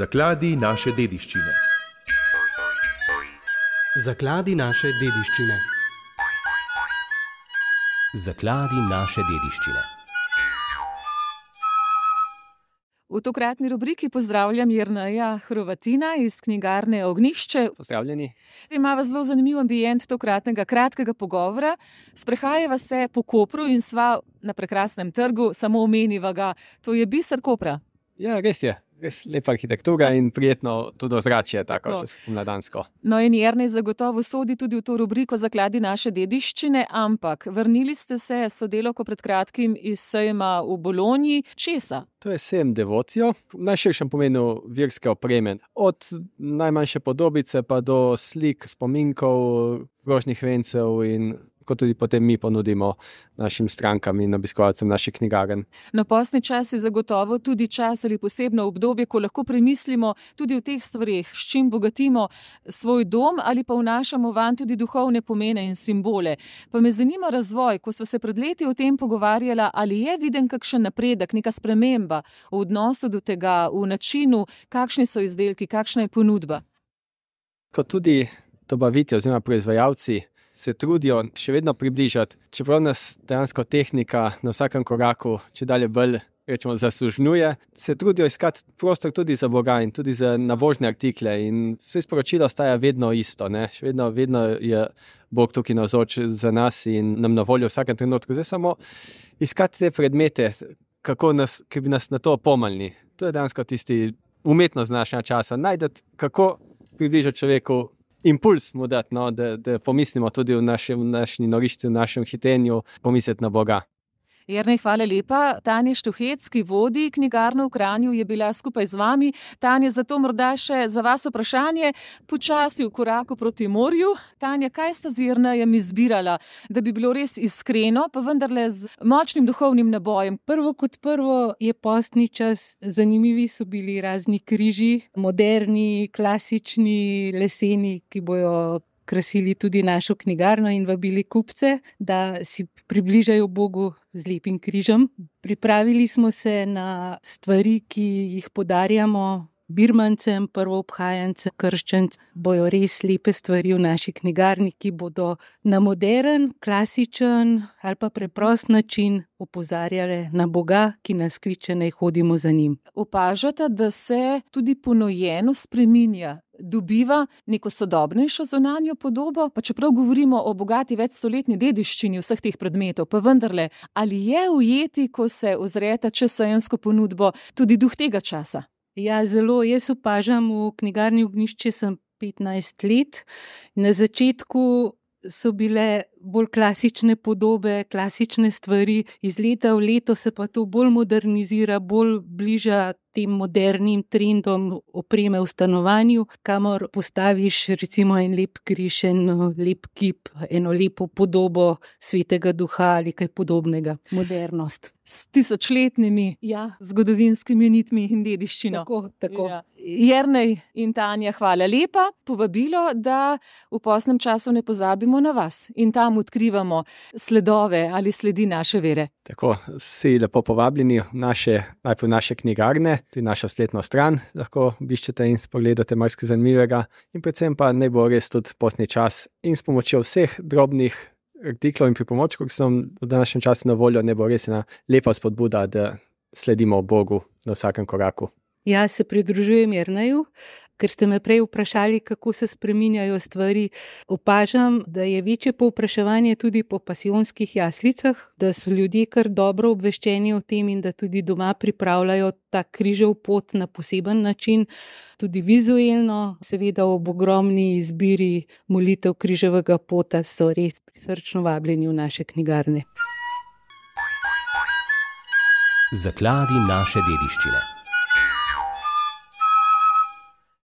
Zakladi naše dediščine. Zakladi naše dediščine. Zakladi naše dediščine. V tokratni rubriki pozdravljam Jerneja Hrovatina iz knjigarne Ognjišče. Pozdravljeni. Imava zelo zanimiv ambient tokratnega kratkega pogovora. Sprehajava se po Kopru in sva na prekrasnem trgu, samo omeniva ga. To je biser Kopra. Ja, res je. Res lepa arhitektura in prijetno tudi ozračje, tako še pomladansko. No in Jernej zagotovo sodi tudi v to rubriko Zakladi naše dediščine, ampak vrnili ste se s sodelavko pred kratkim iz sejma v Bologni. Česa? To je sejem Devotio, v najširšem pomenu verske opreme. Od najmanjše podobice pa do slik, spominkov, rožnih vencev in kot tudi potem mi ponudimo našim strankam in obiskovalcem naših knjigarn. No, postni čas je zagotovo tudi čas ali posebno obdobje, ko lahko premislimo tudi o teh stvareh, s čim bogatimo svoj dom ali pa vnašamo vanj tudi duhovne pomene in simbole. Pa me zanima razvoj, ko sva se pred leti o tem pogovarjala, ali je viden kakšen napredek, neka sprememba v odnosu do tega, v načinu, kakšni so izdelki, kakšna je ponudba. Kot tudi dobavitelji oziroma proizvajalci se trudijo še vedno približati, čeprav nas dejansko tehnika na vsakem koraku čedalje bolj zasužnjuje, se trudijo iskati prostor tudi za Boga in tudi za navožne artikle in vse sporočilo ostaja vedno isto, ne? Še vedno je Bog tukaj navzoč za nas in nam na voljo v vsakem trenutku. Zdaj samo iskati te predmete, ki bi nas na to opomnili. To je dejansko tisti umetnost današnjega časa, najdeti, kako približati človeku impuls mu dati, no, da pomislimo tudi v naši noriščini, v našem hitenju, pomisliti na Boga. Jernej, hvala lepa. Tanja Štuhec, ki vodi knjigarno v Kranju, je bila skupaj z vami. Tanja, zato morda še za vas vprašanje, počasi v koraku proti morju. Tanja, kaj sta z Jernejem izbirala, da bi bilo res iskreno, pa vendarle z močnim duhovnim nabojem? Prvo kot prvo je postni čas, zanimivi so bili razni križi, moderni, klasični, leseni, ki bojo krasili tudi našo knjigarno in vabili kupce, da si približajo Bogu z lepim križem. Pripravili smo se na stvari, ki jih podarjamo birmancem, prvoobhajancem, krščancem. Bojo res lepe stvari v naši knjigarni, ki bodo na modern, klasičen ali pa preprost način opozarjale na Boga, ki nas kliče, naj hodimo za njim. Opažate, da se tudi ponojeno spreminja, dobiva neko sodobnejšo zunanjo podobo, pa čeprav govorimo o bogati večstoletni dediščini vseh teh predmetov, pa vendarle, ali je ujeti, ko se ozrete čez sejensko ponudbo, tudi duh tega časa? Ja, zelo. Jaz opažam, v knjigarni Ognjišče sem 15 let. Na začetku so bile bolj klasične podobe, klasične stvari. Iz leta v leto se pa to bolj modernizira, bolj bliža tem modernim trendom opreme v stanovanju, kamor postaviš recimo en lep križ, en lep kip, eno lepo podobo svetega duha ali kaj podobnega. Modernost. S tisočletnimi zgodovinskimi nitmi in dediščino. Tako. Ja. Jernej in Tanja, hvala lepa. Povabilo, da v postnem času ne pozabimo na vas in tam odkrivamo sledove ali sledi naše vere. Tako, vsi lepo povabljeni najprej v naše knjigarne, tudi našo spletno stran, lahko obiščete in pogledate marsikaj zanimivega in predvsem pa naj bo res tudi postni čas in s pomočjo vseh drobnih artiklov in pripomočkov, ki so v današnjem času na voljo, ne bo res ena lepa spodbuda, da sledimo Bogu na vsakem koraku. Ja, se pridružujem Jerneju, ker ste me prej vprašali, kako se spreminjajo stvari. Opažam, da je večje povpraševanje tudi po pasijonskih jaslicah, da so ljudje kar dobro obveščeni o tem in da tudi doma pripravljajo ta križev pot na poseben način, tudi vizuelno. Seveda ob ogromni izbiri molitev križevega pota so res prisrčno vabljeni v naše knjigarne. Zakladi naše dediščine.